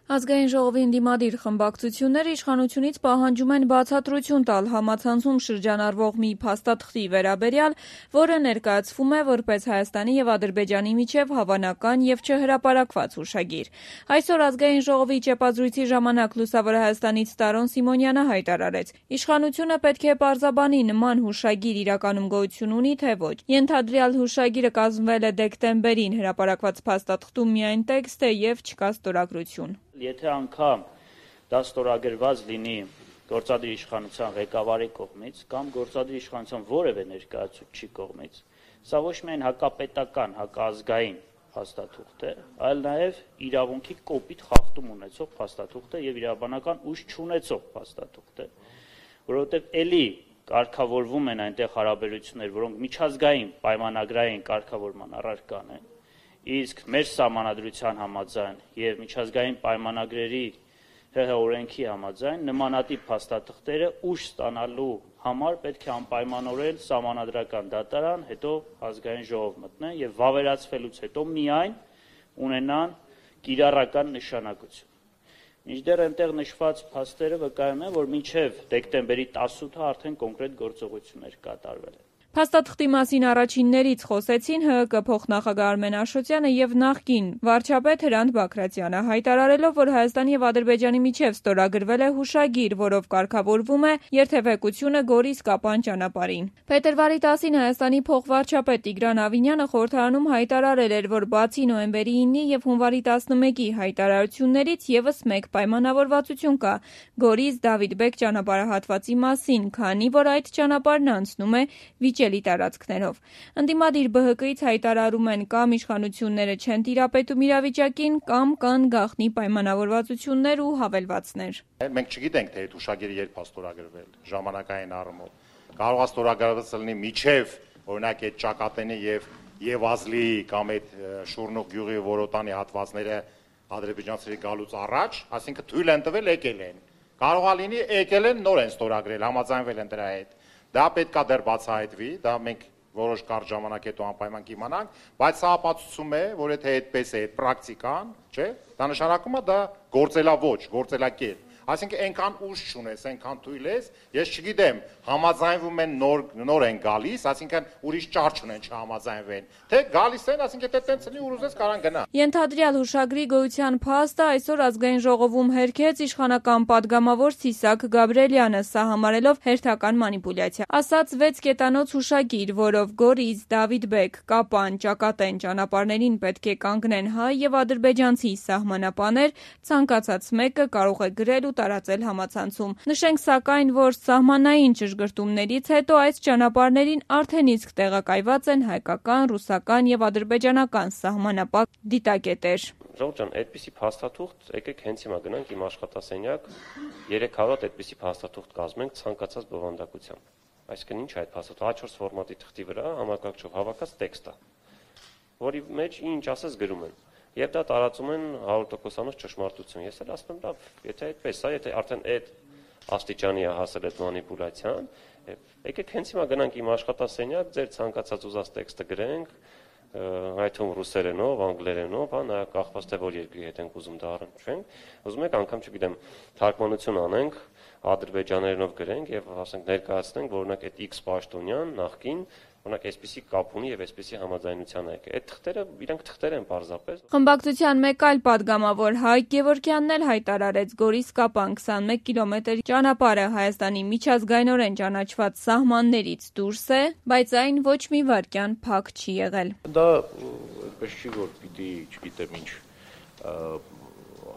Ազգային ժողովի ընդդիմադիր խմբակցությունները իշխանությունից պահանջում են բացատրություն տալ համացանցում շրջանառվող մի փաստաթղթի վերաբերյալ, որը ներկայացվում է որպես Հայաստանի և Ադրբեջանի միջև հավանական և չհրապարակված հուշագիր։ Այսօր Ազգային ժողովի ճեպազրույցի ժամանակ Լուսավոր Հայաստանից Տարոն Սիմոնյանը հայտարարեց. իշխանությունը պետք է պարզաբանի նման հուշագիր իրականում գոյություն ունի, թե ոչ։ Ենթադրյալ հուշագիրը կազմվել է դեկտեմբերին, հրապարակված փաստաթղթում միայն տեքստ է և չկա ստորագրություն։ Եթե անգամ դա ստորագրված լինի գործադիր իշխանության ղեկավարի կողմից կամ գործադիր իշխանության որևէ ներկայացուցչի կողմից, սա ոչ միայն հակապետական, հակազգային փաստաթուղթ է, այլ նաև իրավունքի կոպիտ խախտում ունեցող փաստաթուղթ է եւ իրավաբանական ուժ չունեցող փաստաթուղթ է, որովհետեւ ելի կարգավորվում են այնտեղ հարաբերություններ, որոնք միջազգային պայմանագրային կարգավորման առարկան են, իսկ մեր սահմանադրության համաձայն եւ միջազգային պայմանագրերի ՀՀ օրենքի համաձայն նմանատիպ փաստաթղթերը ուժ ստանալու համար պետք է անպայմանորեն սահմանադրական դատարան, հետո ազգային ժողով մտնեն եւ վավերացվելուց հետո միայն ունենան կիրառական նշանակություն։ Մինչդեռ այնտեղ նշված փաստերը վկայում են, որ մինչև դեկտեմբերի 18-ը արդեն կոնկրետ գործողություններ կատարվել են։ Փաստաթղթի մասին առաջիններից խոսեցին ՀՀԿ փոխնախագահ Արմեն Աշոտյանը եւ նախկին վարչապետ Հրանտ Բագրատյանը, հայտարարելով, որ Հայաստանի եւ Ադրբեջանի միջև ստորագրվել է հուշագիր, որով կարգավորվում է երթևեկությունը Գորիս-Կապան ճանապարհին։ Փետրվարի 10-ին Հայաստանի փոխվարչապետ Տիգրան Ավինյանը խորհրդարանում հայտարարել էր, որ բացի նոյեմբերի 9-ի եւ հունվարի 11-ի հայտարարություններից եւս մեկ պայմանավորվածություն կա Գորիս-Դավիթ Բեկ ճանապարհահատվածի մասին, քանի որ այդ ճանապարհն անցնում է վիճելի տարածքներով։ Ընդդիմադիր ԲՀԿ-ից հայտարարում են կամ իշխանությունները չեն տիրապետում իրավիճակին, կամ կան գաղտնի պայմանավորվածություններ ու հավելվածներ։ Մենք չգիտենք, թե այդ հուշագիրը երբ է ստորագրվել, ժամանակային առումով։ Կարող է ստորագրված լինի միջև, օրինակ, այդ Ճակատենի եւ Եվազլի կամ այդ Շուրնուղ գյուղի Որոտանի հատվածները ադրբեջանցիների գալուց առաջ, այսինքն թույլ են տվել, եկել են։ Կարող է լինի եկել են, նոր են ստորագրել, համաձայնվել են դրա հետ։ Դա պետք է դեռ բացահայտվի, դա մենք որոշ կարճ ժամանակ հետո անպայման կիմանանք, բայց սա ապացուցում է, որ եթե այդպես է, այդ պրակտիկան, չէ՞, դա նշանակում է դա գործելաոճ, գործելակերպ։ Այսինքն այնքան ուժ չունես, այնքան թույլ ես, ես չգիտեմ, համաձայնվում են նոր են գալիս, այսինքն ուրիշ ճար չունեն չհամաձայնվեն, թե գալիս են, այսինքն եթե տենց լինի ուզես կարան գնա։ Ենթադրյալ հուշագրի գոյության փաստը այսօր Ազգային ժողովում հերքեց իշխանական падգամավոր Սիսակ Գաբրելյանը, սա համարելով հերթական մանիպուլյացիա։ Ասաց 6 կետանոց հուշագիր, որով Գորիս, Դավիթ Բեկ, Կապան, Ճակատեն ճանապարհներին պետք է կանգնեն հայ եւ ադրբեջանցի սահմանապաներ, ցանկացած մեկը կարող է գրել ու տարածել համացանցում։ Նշենք սակայն, որ սահմանային ճշգրտումներից հետո այս ճանապարհներին արդեն իսկ տեղակայված են հայկական, ռուսական եւ ադրբեջանական սահմանապատ դիտակետեր։ Ժողովուրդ ջան, այդպիսի փաստաթուղթ, եկեք հենց հիմա գնանք իմ աշխատասենյակ, 3 հավատ այդպիսի փաստաթուղթ կազմենք ցանկացած բովանդակությամբ։ Այսինքն ինչ է այդ փաստաթուղթը, A4 ֆորմատի թղթի վրա համակարգչով հավաքած տեքստ է, որի մեջ ինչ ասես գրում են։ Եվ դա տարածում են 100%-անոց ճշմարտություն։ Ես էլ ասում եմ, լավ, եթե այդպես է, եթե արդեն այդ աստիճանի է հասել այդ մանիպուլյացիան, եկեք հենց հիմա գնանք իմ աշխատասենյակ, ձեր ցանկացած ուզած տեքստը գրենք, այդում ռուսերենով, անգլերենով, նա կախված թե որ երկրի հետ ենք ուզում դա առնչվենք, ուզում եք անգամ չգիտեմ, թարգմանություն անենք, ադրբեջաներենով գրենք եւ ասենք ներկայացնենք, որ օրինակ այդ X պաշտոնյան նախքին օրինակ այսպիսի կապ ունի եւ այսպիսի համաձայնության եք։ Այդ թղթերը իրանք թղթեր են պարզապես։ Խմբակցության մեկ այլ падգամավոր Հայկ Գևորգյանն էլ հայտարարեց Գորիս-Կապան 21 կիլոմետր ճանապարհը Հայաստանի միջազգայինորեն ճանաչված սահմաններից դուրս է, բայց այն ոչ մի վայրկյան փակ չի եղել։ Դա այդպես չի, որ պիտի, չգիտեմ ինչ,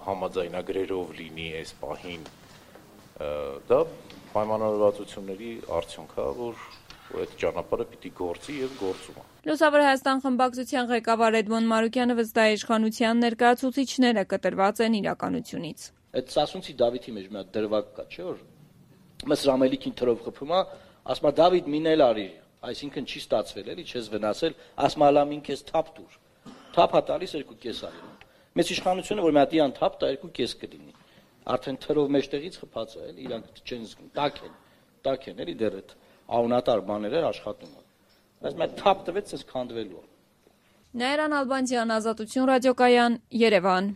համաձայնագրերով լինի այս պահին։ Դա պայմանավորվածությունների արդյունք է, որ այդ ճանապարհը պիտի գործի եւ գործում է։ Լուսավոր Հայաստան խմբակցության ղեկավար Էդմոն Մարուկյանը վստահ է իշխանության ներկայացուցիչները կտրված են իրականությունից։ Այդ Սասունցի Դավիթի մեջ մի հատ դրվագ կա, չէ՞ որ մս ռամելիքին թրով խփում է, ասում է Դավիթ մինել արի, այսինքն չի ստացվել էլի, չես վնասել, ասում է լամին քեզ թափ տուր։ Թափ է տալիս 2.5 արի։ Մեծ իշխանությունը որ մի հատ իան թափ տա 2.5 կլինի։ Արդեն թրով մեջտեղից խփած է, էլի իրանք չեն զգում, տակ են էլի դեռ այդ անունատար բաները աշխատում են։ Բայց մենք թափ տվեց, ես քանդվելու եմ։ Նաիրան Ալբանդյան, Ազատություն ռադիոկայան, Երևան։